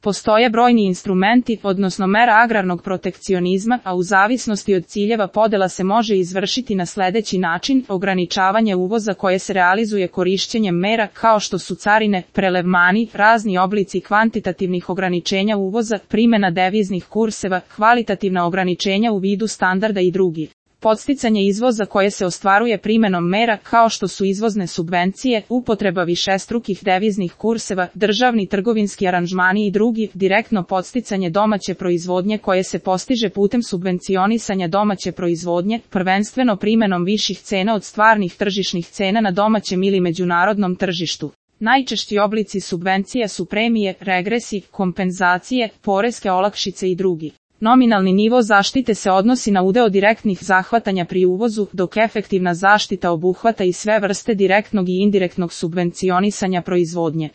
Postoje brojni instrumenti, odnosno mera agrarnog protekcionizma, a u zavisnosti od ciljeva podela se može izvršiti na sledeći način: ograničavanje uvoza koje se realizuje korišćenjem mera kao što su carine, prelevmani, razni oblici kvantitativnih ograničenja uvoza, primjena deviznih kurseva, kvalitativna ograničenja u vidu standarda i drugi. Podsticanje izvoza koje se ostvaruje primjenom mera kao što su izvozne subvencije, upotreba višestrukih deviznih kurseva, državni trgovinski aranžmani i drugi, direktno podsticanje domaće proizvodnje koje se postiže putem subvencionisanja domaće proizvodnje, prvenstveno primjenom viših cena od stvarnih tržišnih cena na domaćem ili međunarodnom tržištu. Najčešći oblici subvencija su premije, regresi, kompenzacije, poreske olakšice i drugi. Nominalni nivo zaštite se odnosi na udeo direktnih zahvatanja pri uvozu, dok efektivna zaštita obuhvata i sve vrste direktnog i indirektnog subvencionisanja proizvodnje.